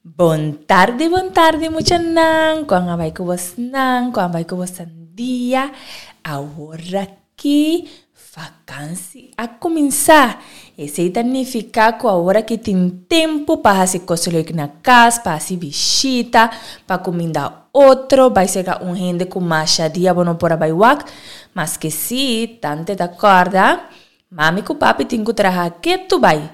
Bon tardi, bon tardi muchanan, kon a bai ku bosnan, kon a bai ku bosan dia? Aworaki vakansi a kuminsá. Esei ta nifiká ku aworaki tin tempu pa hasi kos leuk na kas, pa hasi bishita, pa kuminda otro, bai serka un hende ku masha dia bo no por a bai wak. Maske si, tante ta kòrda, mami ku papi tin ku traha ketu bai.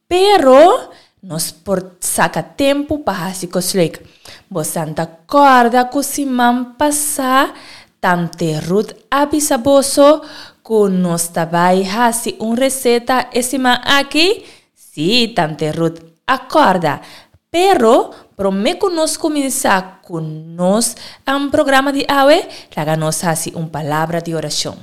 Pero, nos por saka tempu pa hasi kos leuk. Bosan ta kòrda ku siman pasá Tante Ruth a bisa boso ku nos ta bai hasi un reseta e siman aki? Sí, Tante Ruth a kòrda. Pero, promé ku nos kuminsá ku nos programa di awe, laga nos hasi un palabra di orashon.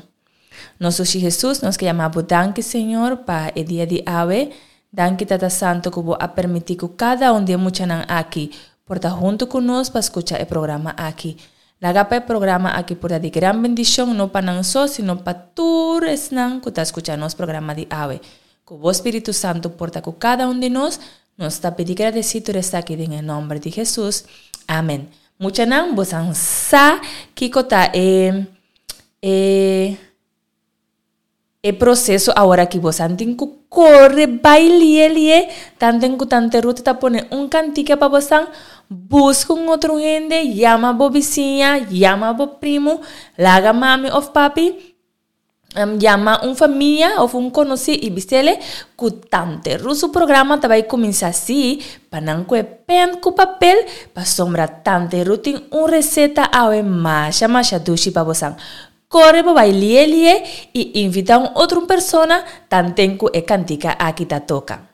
Nos Dushi Hesus, nos ke yama Bo danki, Señor, pa e dia di awe. Danki, Tata Santo, ku Bo a permití ku kada un di e muchanan aki por ta huntu ku nos pa skucha e programa aki. Laga pa e programa aki por ta di gran bendishon, no pa nan so, sino pa tur esnan ku ta skucha nos programa di awe. Ku Bo Spiritu Santo por ta ku kada un di nos, nos ta pidi gradesí tur esaki den e nòmber di Hesus. Amen. Muchanan, bosan sa kiko ta e e e proceso aworaki bosan tin cu core bay lie lie tanten cu tante Ruth ta pone un cantica pa bosan busca un otro hende yama bo bisiña yama bo primo laga mami of papi yama un famia of un conoci y bisele cu tante Ruth su programa ta bay cuminsa si pa nan cu e pen cu papel pasobra tante Ruth tin un receta awe masha masha dushi pa bosan. Core bo bay lie lie y invita un otro persona tanten cu e cantica aki ta toca.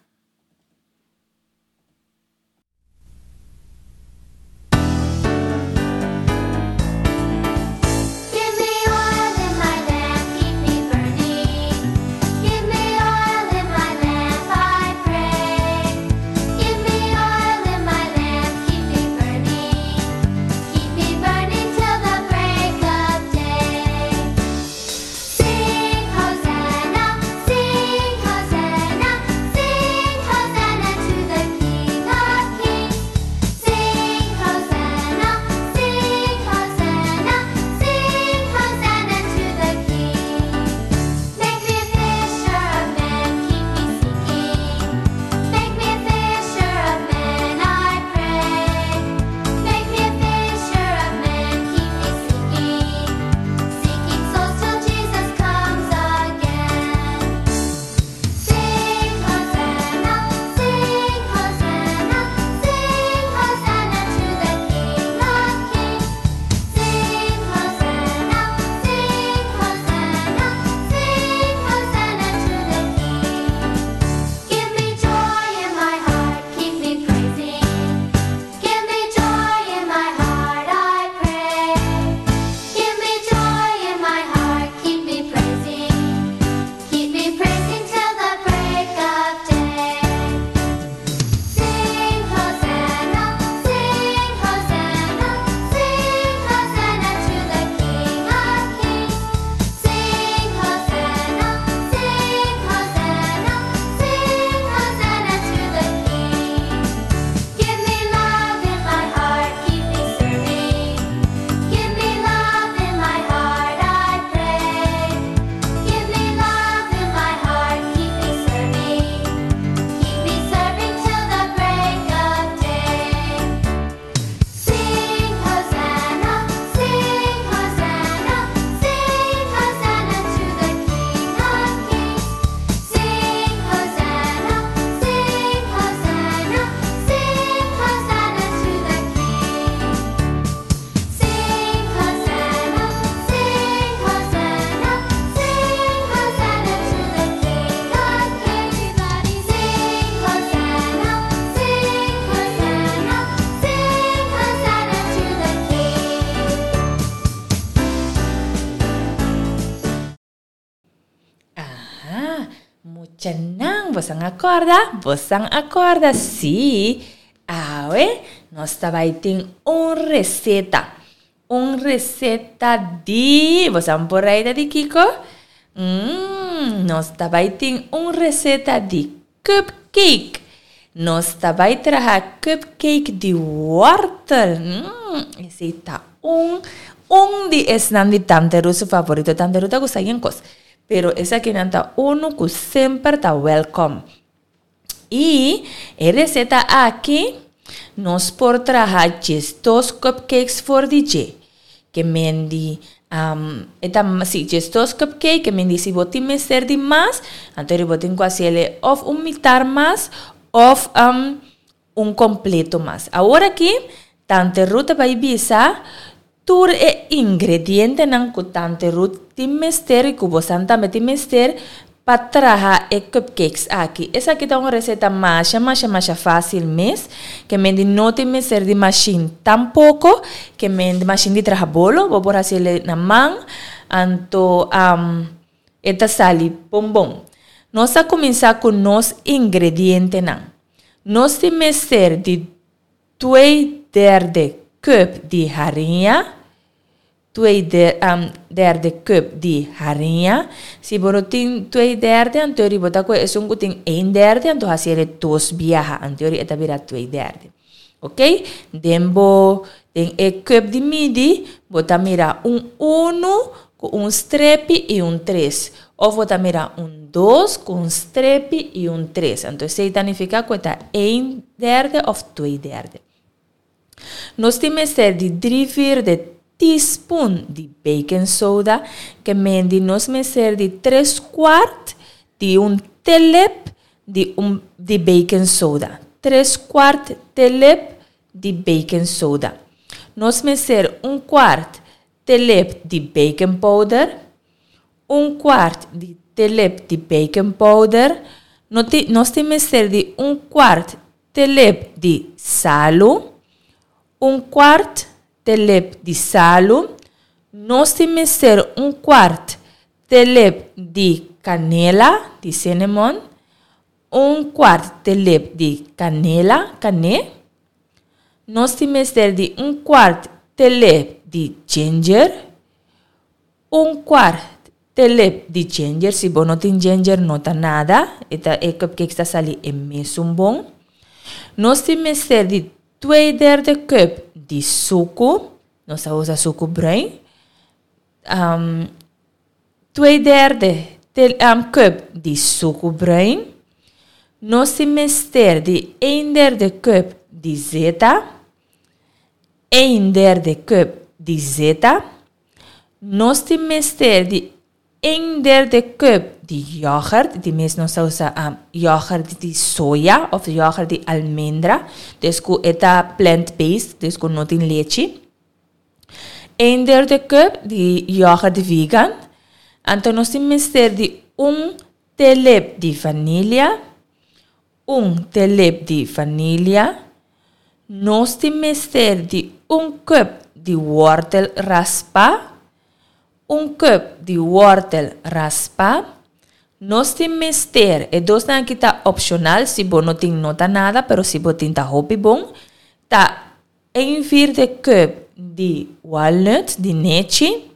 Aha, muchanan, bosan a kòrda? Bosan a kòrda? Sí! Awe nos ta bai tin un reseta. Un reseta di, bosan por raida di kiko? Mmm, nos ta bai tin un reseta di cupcake. Nos ta bai traha cupcake di wortel. Mmm, esei ta un un di esnan di Tante Ruth su favorito. Tante Ruth ta gusta yen kos, pero esakinan ta unu ku semper ta welcome. I e reseta aki nos por traha djesdos cupcakes for di dje. Ke men di e ta si djesdos cupcake ke men di si bo tin mester di mas anto bo tin ku hasiel òf un mitar mas òf un kompleto mas. Awor aki Tante Ruth ta bai bisa tur e ingredientenan ku Tante Ruth tin mester i ku bosan tambe tin mester pa traha e cupcakes aki. Esaki ta un reseta masha masha masha fásil mes, ke men di no tin mester di mashin tampoko, ke men di mashin di traha bolo, bo por hasi el na man, anto e ta sali bon bon. Nos a kuminsá ku nos ingredientenan. Nos tin mester di Twee derde cup di hariña, twee derde cup di hariña. Si bo no tin twee derde, anto bo ta kohe esun ku tin een derde, anto hasi e dos biaha, anto e ta bira twee derde. Ok, den bo, den e cup di midi, bo ta mira un unu ku un strepi i un tres. Of bo ta mira un dos ku un strepi i un tres. Anto esei ta nifiká ku e ta een derde òf twee derde. Nos tin mester di drie vierde teaspoon di baking soda, ke mendi nos mester di tres kwart di un telep di un di baking soda. Tres kwart telep di baking soda. Nos mester un kwart telep di baking powder, un kwart di telep di baking powder, no tin, nos tin mester di un kwart telep di salu, un kwart telep di salu, nos tin mester un kwart telep di kanela, di cinnamon, un kwart telep di kanela, kané, Nos tin mester di un kwart telep di ginger, un kwart telep di ginger, si bo no tin ginger no ta nada, e ta e cupcakes ta sali e mesun bon. Nos tin mester di twee derde cup di suku, nos ta usa suku bruin, Twee derde cup di suku bruin. Nos tin mester di een derde cup di zeta. Een derde cup di zeta. Nos tin mester di een derde cup di yoghurt. Di mes nos ta usa yoghurt di soya of yoghurt di almendra. Dus ku e ta plant based, dus ku no tin lechi. Een derde cup di yoghurt vegan. Anto nos tin mester di un telep di vanilia, un telep di vanilia. Nos tin mester di un cup di wortel raspa, un cup di wortel raspa. Nos tin mester, e dosnan aki ta opcional, si bo no tin no ta nada, pero si bo tin ta hopi bon, ta Een vierde cup di walnut, di nechi,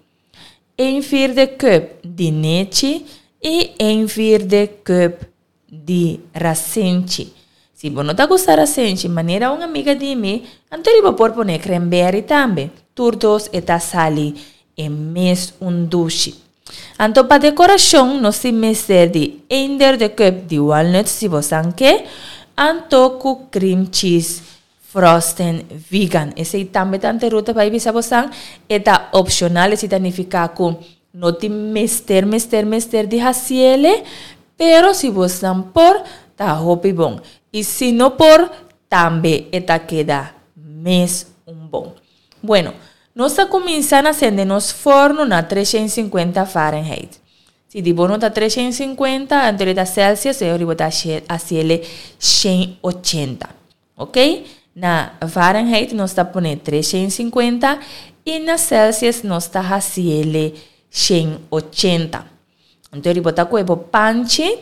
een vierde cup di nechi y een vierde cup di rasenchi. Si bo no ta gusta rasenchi, manera un amiga di mi, anto riba por pone cranberry tambe. Tur dos e ta sali e mes un dushi. Anto pa decoracion nos tin mester di een derde cup di walnut si bo san ke, anto cu cream cheese Frosten vegan. Esei tambe ta ante Ruth a bai bisa bosan. E ta opcional, esei ta nifica cu no tin mester, mester, mester di haciele, pero si bosnan por, ta hopi bon. Y si no por, tambe e ta keda mes un bon. Bueno, nos ta cuminsa na sende nos forno na 350 Fahrenheit. Si di bo no ta 350, anto e ta Celsius, e ora bo ta haciele 180. Ok, na Fahrenheit nos ta pone 350 y na Celsius nos ta haciele 180. Anto bo ta coge bo panchi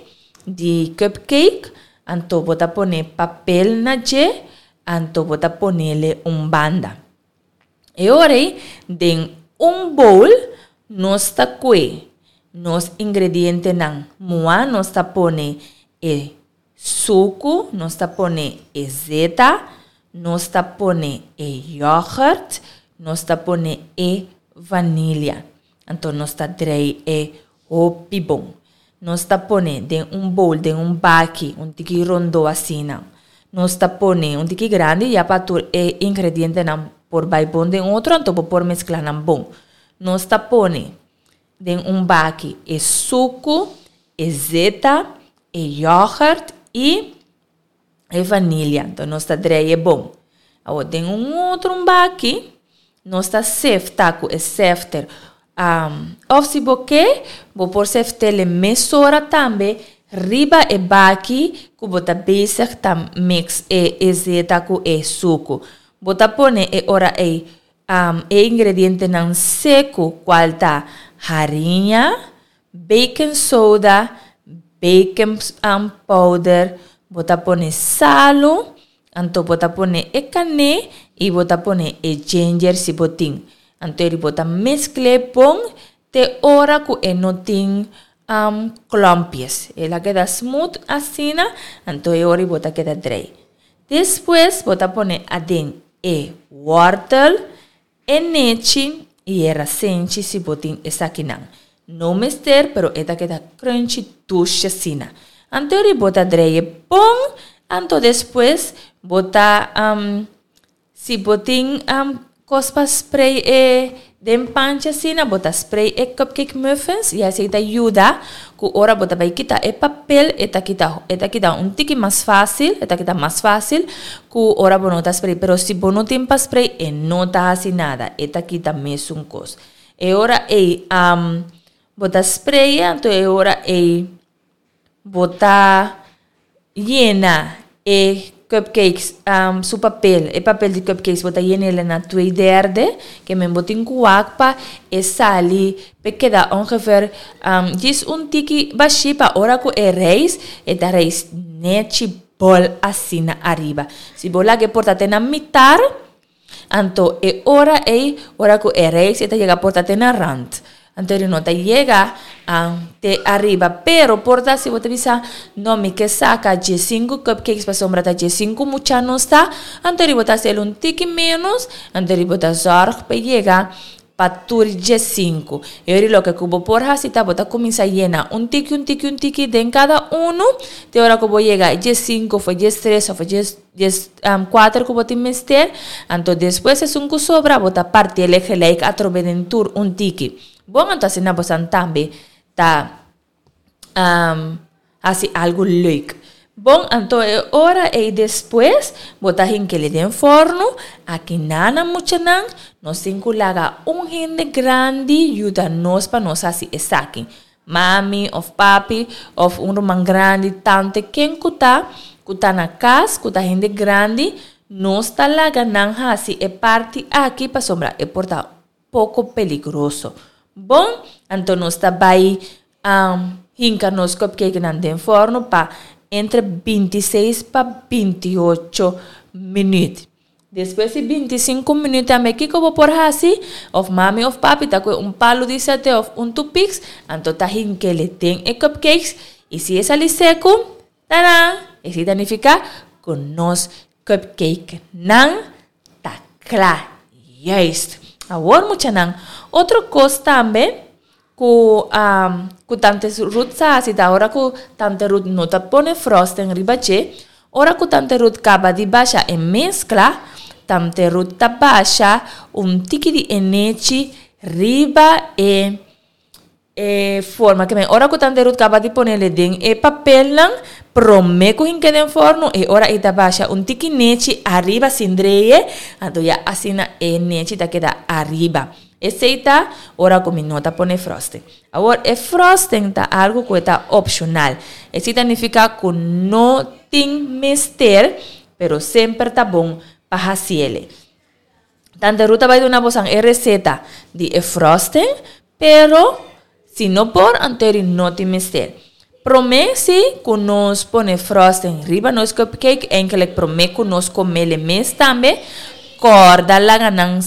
di cupcake, anto bo ta pone papel na dje, anto bo ta ponele un banda. E ora ei, den un bowl nos ta kue nos ingredientenan mua, nos ta pone e. suku, nos ta pone e zeta, nos ta pone e yoghurt, nos ta pone e vanilia. Anto nos ta drei e hopi bon. Nos ta pone den un bowl, den un baki, un tiki rondo asina. Nos ta pone un tiki grandi ya pa tur e ingredientenan por bai bon den otro, anto bo por meskla nan bon. Nos ta pone den un baki e suku, e zeta, e yoghurt y e vanilia. Anto nos ta drei e bon. Awor den un otro un baki nos ta sefta ku e sefter. Of si bo ke, bo por seftele mesora tambe riba e baki ku bo ta bezig ta mix e e zeta ku e suku. Bo ta pone e ora ei e ingredientenan seku kual ta hariña, baking soda, baking powder, bo ta pone salu, anto bo ta pone e kané i bo ta pone e ginger si bo tin. Anto eri bo ta meskl'é bon te ora ku e no tin klompjes. El a keda smooth asina, anto e ora bo ta keda drei. Despues bo ta pone aden e wòrtel, E nechi y e rasenchi si bo tin esakinan. No mester pero e ta keda crunchy dushi asina. Anto eri bo ta dreye bon anto despues bo ta si bo tin cos pa spray e den panchi asina bo ta spray e cupcake muffins y asey ta yuda cu ora bo ta bay kita e papel e ta kita e ta kita un tiki mas facil e ta kita mas facil cu ora bo no ta spray pero si bo no tin pa spray e no ta haci nada e ta kita mesun cos e ora ey bo ta spray anto e ora ey bo ta yena e cupcakes su papel e papel di cupcakes bo ta yen'el na twee derde ke men bo tin ku wak pa e sali p'e keda ongeveer djis un tiki bashí pa ora ku e reis e ta reis nechi bòl asina ariba si bo laga e por ta te na mitar Anto e ora ei, ora ku e reis e ta yega por ta te na rant. Anto e no ta yega te ariba. Pero por ta si bo ta bisa, no mi ke saka diesinku cupcakes pasobra ta diesinku mucha nos ta, anto bo ta hasiel un tiki menos, anto bo ta zorg pa e yega pa tur diesinku. E ora loke ku bo por hasi ta bo ta kuminsá yena un tiki un tiki un tiki den kada unu te ora ku bo yega e diesinku òf e diestres òf e dies Dies kuater ku bo tin mester, anto despues esun ku sobra bo ta parti el e gelijk atrobe den tur un tiki. Bon, anto asina bosan tambe ta hasi algu leuk. Bon, anto e ora ei despues bo ta hink'el den fornu, aki nana muchanan nos tin ku laga un hende grandi yuda nos pa nos hasi esaki. Mami of papi of un ruman grandi, tante, ken ku ta, ku ta na kas, ku ta hende grandi, nos ta laga nan hasi e parti aki pasobra e por ta poko peligroso. Bon, anto nos ta bai hinka nos cupcakenan den forno pa entre bintiseis pa bintiocho minuut. Despues di bintisinku minüt tambe kiko bo por hasi? Of mami of papi ta kue un palu di sate of un tupiks, anto ta hink'ele den e cupcakes i si e sali seku, taran! Esei ta nifiká ku nos cupcakenan ta kla. Juist! Awor muchanan, otro kos tambe ku ku tante Ruth sa hasi ta ora ku tante Ruth no ta pone frosting riba dje, ora ku tante Ruth kaba di basha e meskla, tante Ruth ta basha un tiki di e nechi riba e e forma ke men ora ku tante Ruth kaba di ponele den e papelnan prome ku hinke den forno e ora e ta basha un tiki nechi ariba sin dreye anto ya asina e nechi ta keda ariba. Esei ta ora ku mi no ta pone frosting. Awor, e frosting ta algu ku e ta opshonal. Esei ta nifiká ku no tin mester, pero semper ta bon pa hasiel. Tante Ruth ta bai duna bosan e reseta di e frosting, pero si no por, anto eri no tin mester. Promé si ku nos pone frosting riba nos cupcake, enkele promé ku nos komele mes tambe. Kòrda laga nan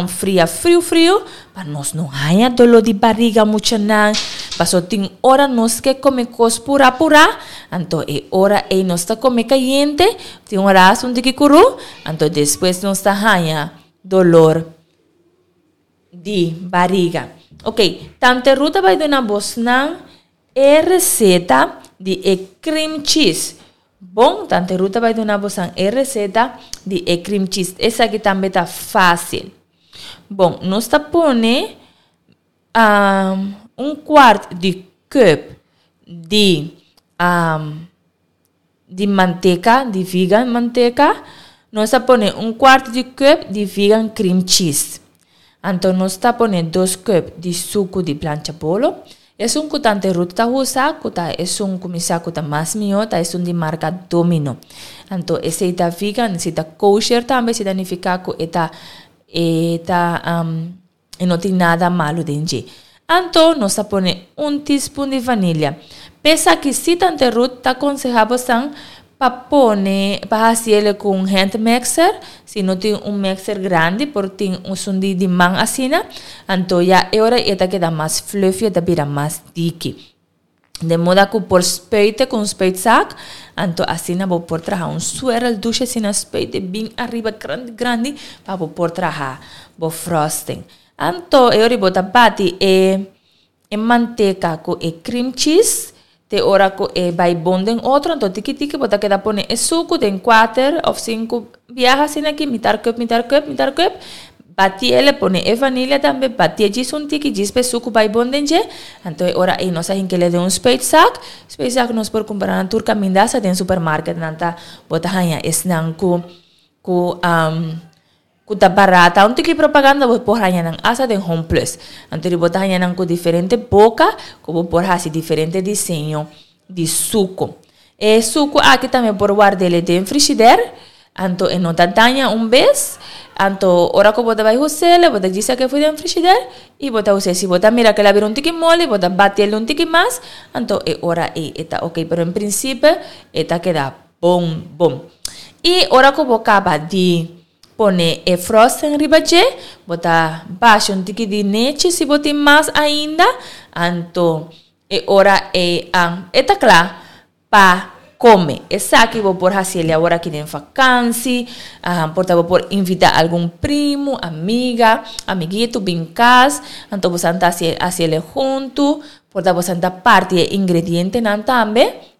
fria friu friu pa nos no haña doló di bariga muchanan. Paso tin ora nos ke kome kos purá purá, anto e ora ei nos ta kome kayente, tin ora hasta un tiki kurú, anto despues nos ta haña dolor di bariga. Ok, Tante Ruth a bai duna bosnan e reseta di e cream cheese. Bon, Tante Ruth ta bai duna bosan e receta di e cream cheese. Esaki tambe ta fácil. Bon, nos ta pone um, un kwart di cup di um, di manteca, di vegan manteca. Nos ta pone un kwart di cup di vegan cream cheese. Anto nos ta pone dos cup di sucu di plancha bolo. Esun cu Tante Ruth ta usa, cu ta esun cu mi sa cu ta mas miho, ta esun di marca Domino. Anto esey ta vegan, esey ta kosher tambe, esey ta nifica cu e ta, e ta, e no tin nada malo den dje. Anto nos ta pone un teaspoon di vanilia. P'esaki si Tante Ruth ta conseha bosan Pa pone, pa haci el cu un hand mixer, si no tin un mixer grandi por tin un di di man asina, anto ya e ora e ta keda mas fluffy, e ta bira mas diki. De moda cu por spuite cu un spuitzak, anto asina bo por traha un swirl dushi asina spuite bin ariba grandi grandi pa bo por traha bo frosting. Anto e ora bo ta bati e E manteka ku e cream cheese te ora ku e bai bon den otro anto tiki tiki bo ta keda pone e suku den kuater of sinku biaha asina aki mitar cup mitar cup mitar cup bati el pone e vanilla tambe bati e djis un tiki djis pa e suku bai bon den dje anto e ora ei nos a hink'e den un spuitzak spuitzak nos por kumpra na tur kaminda hasta den supermarket nan ta bo ta haña esnan ku ku. Ku ta barata. Un tiki propaganda bo por haña nan asta den Home Plus. Anto di bo ta haña nan ku diferente boka ku bo por hasi diferente diseño di suku. E suku aki tambe por ward'el den frishider, anto e no ta daña un bes. Anto ora ku bo ta bai hus'el bo ta djis sak'é for den frishider i bo ta hus'é. Si bo ta mira ku el a bira un tiki moli bo ta bati'el un tiki mas, anto e ora ei e ta oke. Pero en prinsipio e ta keda bon bon. I ora ku bo kaba di pone e frosting riba dje, bo ta basha un tiki di nechi si bo tin mas ainda, anto e ora ei e ta kla pa kome. Esaki bo por hasi el awor aki den fakansi, por ta bo por invita algun primu, amiga, amiguito bin kas, anto bo sa ta hasi el huntu, por ta bo sa ta parti e ingredientenan tambe.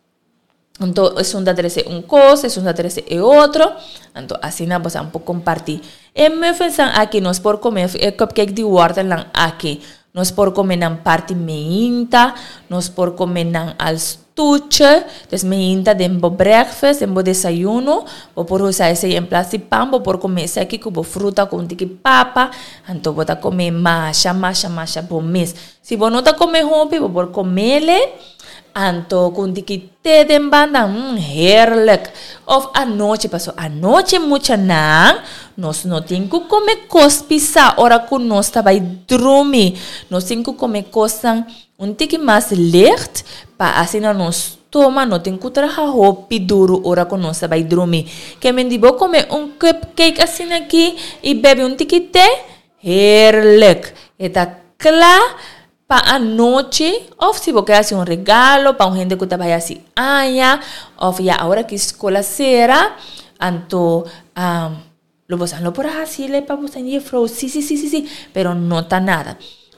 Anto esun ta trece un cos, esun ta trece e otro. Anto asina bosan por comparti. E muffinsnan aki nos por come, e cupcake di wortelnan aki, nos por come nan parti meinta, nos por come nan al stuche. Dus meinta den bo breakfast, den bo desayuno, bo por usa esey en plaats di pan, bo por come esaki cu bo fruta cu un tiki papa. Anto bo ta come masha, masha, masha bo mes. Si bo no ta come hopi, bo por comele. Anto ku un tiki te den banda, mm, heerlijk. Of anochi, paso anochi muchanan, nos no tin ku kome kos pisá ora ku nos ta bai drumi. Nos tin ku kome kosnan un tiki mas licht pa asina nos stoma no tin ku traha hopi duru ora ku nos ta bai drumi. Ke men di bo kome un cupcake asina aki i bebe un tiki te, heerlijk. E ta kla Pa anochi of si bo ke hasi un regalo pa un hende ku ta bai hasi aña of ya awor aki skol a sera anto lo bosan lo por hasi pa bosan jefrou si si si si si pero no ta nada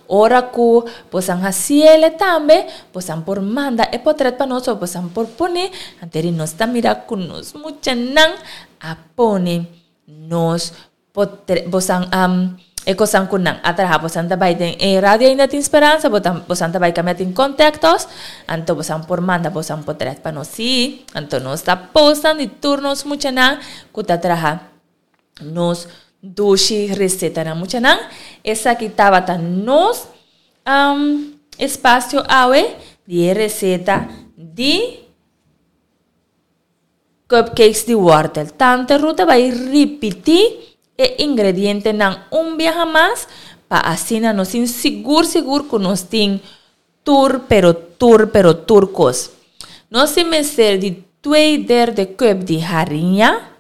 ora ku bosan hasiele tambe bosan por manda e potret pa nos of bosan por pone anto eri nos ta mira ku nos muchanan a pone nos Bosan e kosan ku nan a traha bosan ta bai den e radio ainda tin speransa bosan ta bai kambia tin kontaktos anto bosan por manda bosan potret pa nos si anto nos ta postan di tur nos muchanan ku ta traha nos dushi resetanan muchanan esaki tabata nos espasio awe di e reseta di Cupcakes di wortel. Tante Ruth ta bai ripití e ingredientenan un biaha mas pa asina nos tin sigur sigur ku nos tin tur pero tur pero tur kos. Nos tin mester di twee derde cup di hariña.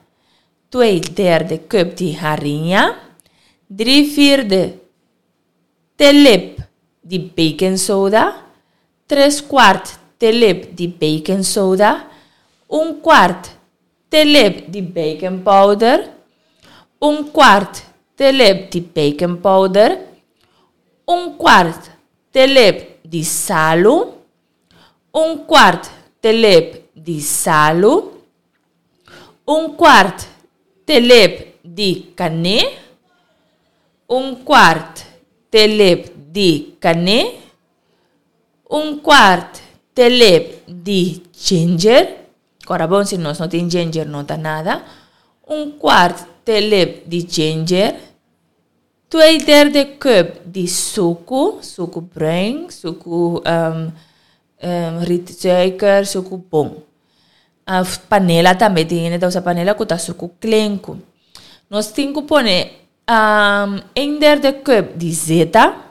Twee derde cup di hariña, Drie vierde telep di baking soda, Tres kwart telep di baking soda, Un kwart telep di baking powder, Un kwart telep di baking powder, Un kwart telep di salu, Un kwart telep di salu, Un kwart telep di kané, Un kwart telep di kané, Un kwart telep di ginger, kòrda bon si nos no tin ginger no ta nada, Un kwart telep di ginger, Twee derde cup di suku, suku bruin, suku rietsuiker, suku bon. Of panela tambe, tin hende ta usa panela ku ta suku klenku. Nos tin ku pone een derde cup di zeta,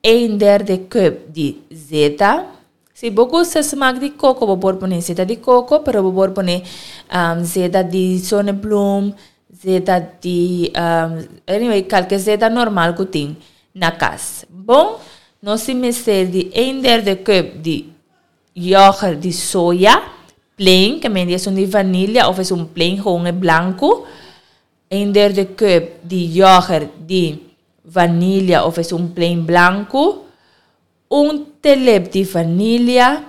Een derde cup di zeta. Si bo gusta smaak di coco bo por pone zeta di coco, pero bo por pone zeta di zonnebloem, zeta di anyway kalke zeta normal ku tin na kas. Bon, nos tin mester di een derde cup di yoghurt di soya, plain, ke men di esun di vanilla of esun plain gewoon e blanku. Een derde cup di yoghurt di vanilia of esun plain blanku, un telep di vanilia,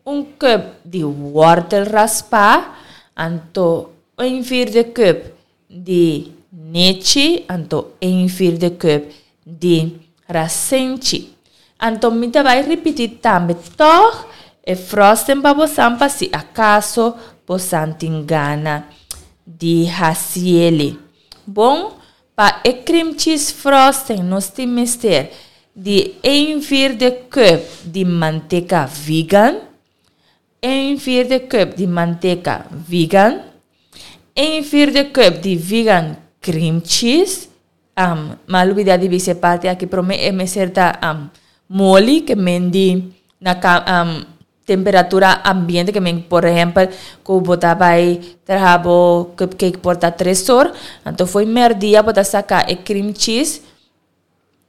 un cup di wortel raspá, anto een vierde cup di nechi, anto een vierde cup di rasenchi. Anto mi ta bai ripití tambe tòg e frosting pa bosan pa si akaso bosan tin gana di hasiele. Bon, pa e cream cheese frosting nos tin mester di een vierde cup di manteka vegan, een vierde cup di manteka vegan, een vierde cup di vegan cream cheese, M'a lubida di bisa e parti aki prome e mester ta moli ke men di na temperatura ambiente ke men por ehempel ku bo ta bai traha bo cupcake por ta tres or anto fo'i merdia bo ta saka e cream cheese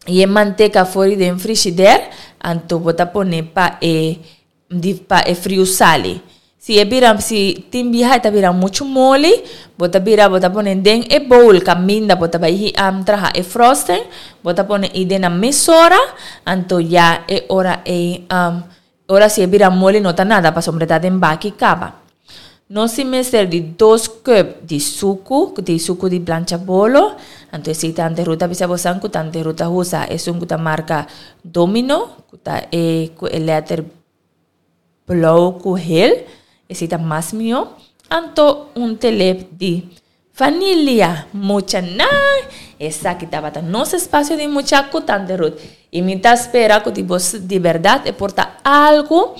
i e manteka for di den frishider anto bo ta pone pa e di pa e friu sali. Si e bira si tin biaha e ta bira muchu moli, bo ta bira bo ta pone den e bowl kaminda bo ta bai traha e frosting, bo ta pone i den nan mesora, anto ya e ora ei ora si e bira moli no ta nada pasobra e ta den baki kaba. Nos tin mester di dos cup di suku, di suku di plancha bolo, anto esei tante Ruth a bisa bosan ku tante Ruth a usa esun ku ta marka Domino, ku ta e ku e letter blou ku hel, esei ta mas mihó. Anto un telep di vanilia. Muchanan, esaki tabata nos espacio di mucha ku tante Ruth. I mi ta spera ku di bos di bèrdat e por ta algu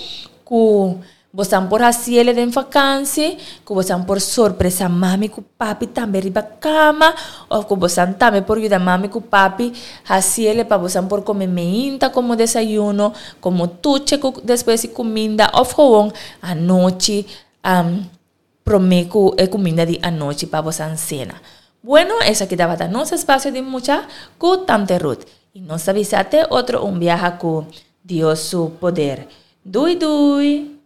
ku Bosan por hasiele den vakansi, ku bosan por sorpresa mami ku papi tambe riba kama, òf ku bosan tambe por yuda mami ku papi hasiele pa bosan por kome meinta komo desayuno, komo tuche ku despues di kuminda òf gewoon anochi promé ku e kuminda di anochi pa bosan sena. Bueno, esaki tabata nos espasio di mucha ku Tante Ruth. I nos ta bisa te otro un biaha ku Dios su poder. Doei doei!